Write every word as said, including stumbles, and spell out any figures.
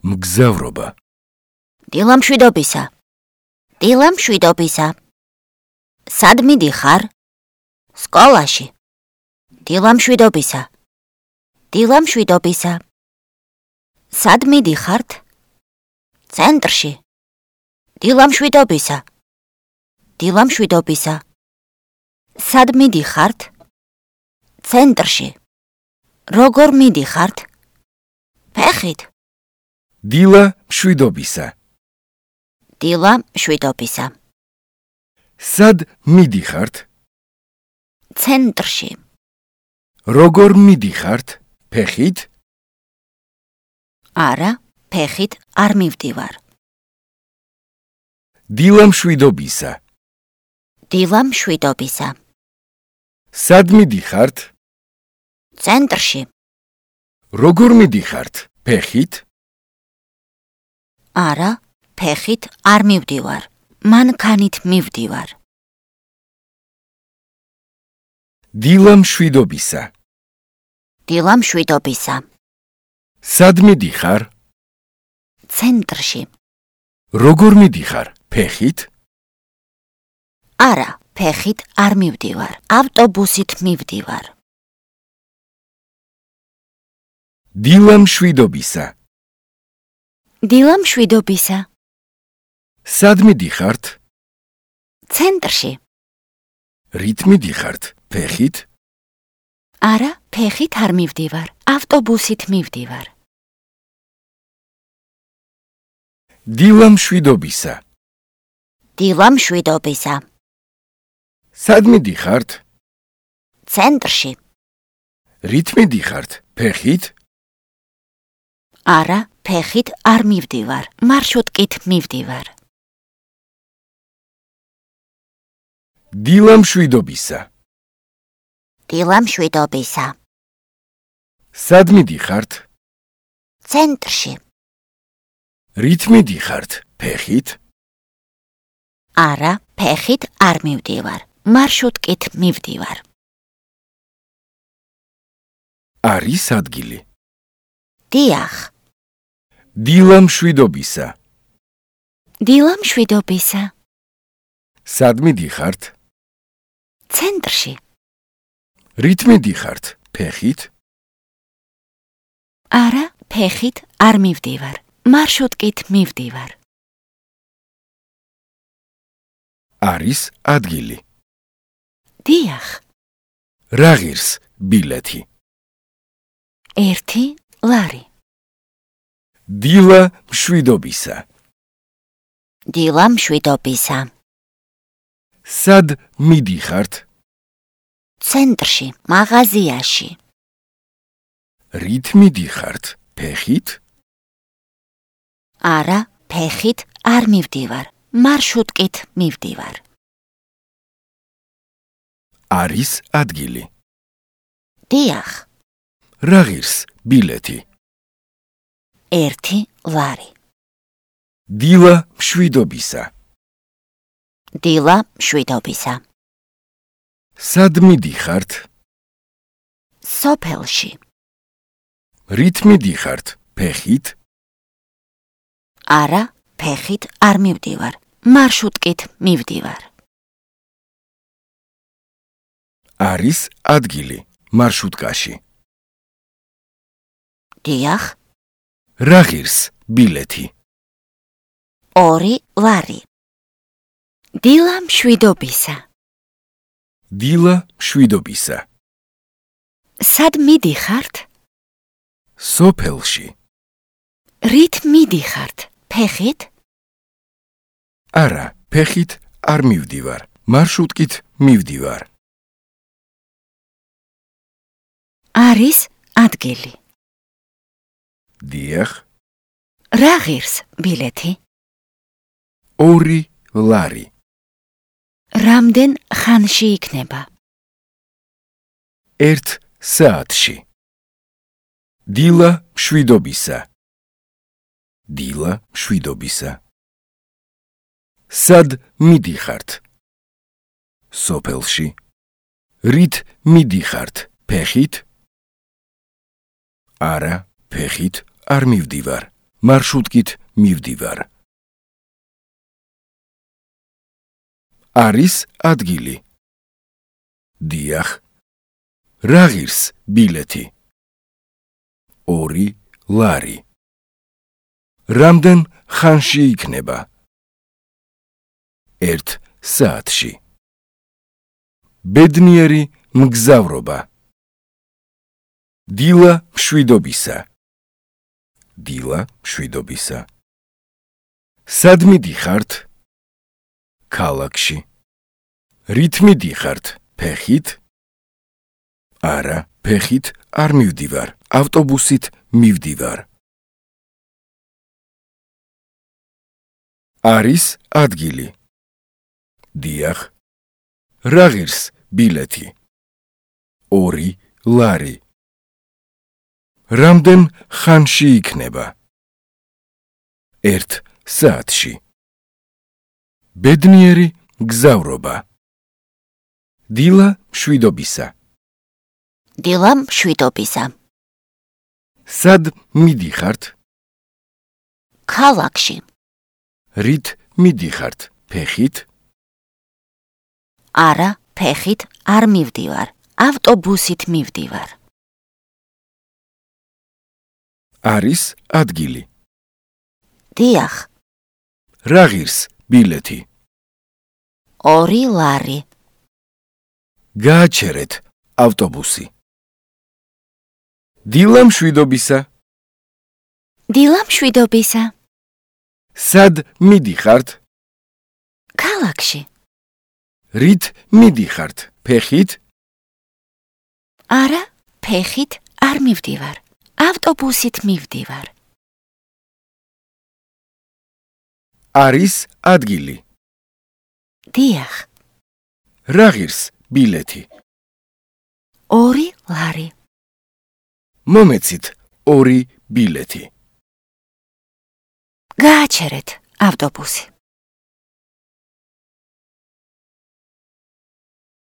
მგზავრობა. დილა მშვიდობისა. დილა მშვიდობისა. სად მიდიხარ? სკოლაში. დილა მშვიდობისა. დილა მშვიდობისა. სად მიდიხართ? ცენტრში. დილა მშვიდობისა. დილა მშვიდობისა. სად მიდიხართ? ცენტრში. როგორ მიდიხართ? ფეხით. დილა მშვიდობისა. დილა მშვიდობისა. სად მიდიხართ? ცენტრში. როგორ მიდიხართ? ფეხით? არა, ფეხით არ მივდივარ. დილა მშვიდობისა. დილა მშვიდობისა. სად მიდიხართ? ცენტრში. როგორ მიდიხართ? ფეხით? არა, ფეხით არ მივდივარ. მანქანით მივდივარ. დილა მშვიდობისა. დილა მშვიდობისა. სად მიდიხარ? ცენტრში. როგორ მიდიხარ? ფეხით? არა, ფეხით არ მივდივარ. ავტობუსით მივდივარ. დილა მშვიდობისა. დილა მშვიდობისა. სად მიდიხართ? ცენტრში. რით მიდიხართ? ფეხით? არა, ფეხით არ მივდივარ. ავტობუსით მივდივარ. დილა მშვიდობისა. დილა მშვიდობისა. სად მიდიხართ? ცენტრში. რით მიდიხართ? ფეხით? არა, ფეხით არ მივდივარ. მარშრუტკით მივდივარ. დილა მშვიდობისა. დილა მშვიდობისა. სად მიდიხართ? ცენტრში. რით მიდიხართ? ფეხით? არა, ფეხით არ მივდივარ. მარშრუტკით მივდივარ. არის ადგილი. დიახ. დილა მშვიდობისა. დილა მშვიდობისა. სად მიდიხართ? ცენტრში. რით მიდიხართ? ფეხით? არა, ფეხით არ მივდივარ. მარშრუტკით მივდივარ. არის ადგილი. დიახ. რა ღირს ბილეთი? ერთი ლარი. დილა მშვიდობისა. დილა მშვიდობისა. სად მიდიხართ? ცენტრში, მაღაზიაში. რით მიდიხართ? ფეხით? არა, ფეხით არ მივდივარ. მარშრუტკით მივდივარ. არის ადგილი. დიახ. რა ღირს ბილეთი? ერთი ლარი. დილა მშვიდობისა. დილა მშვიდობისა. სად მიდიხართ? სოფელში. რით მიდიხართ? ფეხით? არა, ფეხით არ მივდივარ. მარშრუტკით მივდივარ. არის ადგილი მარშრუტკაში. დიახ. რა ღირს ბილეთი? ორი ლარი. დილა მშვიდობისა. დილა მშვიდობისა. სად მიდიხართ? სოფელში. რით მიდიხართ? ფეხით? არა, ფეხით არ მივდივარ. მარშრუტკით მივდივარ. არის ადგილი. დიახ. რა ღირს ბილეთი? ორი ლარი. რამდენ ხანში იქნება? ერთ საათში. დილა მშვიდობისა. დილა მშვიდობისა. სად მიდიხართ? სოფელში. რით მიდიხართ? ფეხით? არა, ფეხით არ მივდივარ. მარშრუტკით მივდივარ. არის ადგილი. დიახ. რა ღირს ბილეთი? ორი ლარი. რამდენ ხანში იქნება? ერთ საათში. ბედნიერი მგზავრობა. დილა მშვიდობისა. დილა მშვიდობისა. სად მიდიხართ? ქალაქში. რით მიდიხართ? ფეხით? არა, ფეხით არ მივდივარ, ავტობუსით მივდივარ. არის ადგილი. დიახ. რა ღირს ბილეთი? ორი ლარი. რამდენ ხანში იქნება? ერთ საათში. ბედნიერი მგზავრობა. დილა მშვიდობისა. დილა მშვიდობისა. სად მიდიხართ? ქალაქში. რით მიდიხართ? ფეხით? არა, ფეხით არ მივდივარ, ავტობუსით მივდივარ. არის ადგილი. დიახ. რა ღირს ბილეთი? ორი ლარი. გააჩერეთ ავტობუსი. დილა მშვიდობისა. დილა მშვიდობისა. სად მიდიხართ? ქალაქში. რით მიდიხართ? ფეხით? არა, ფეხით არ მივდივარ, ავტობუსით მივდივარ. არის ადგილი. დიახ. რა ღირს ბილეთი? ორი ლარი. მომეცით ორი ბილეთი. გააჩერეთ ავტობუსი.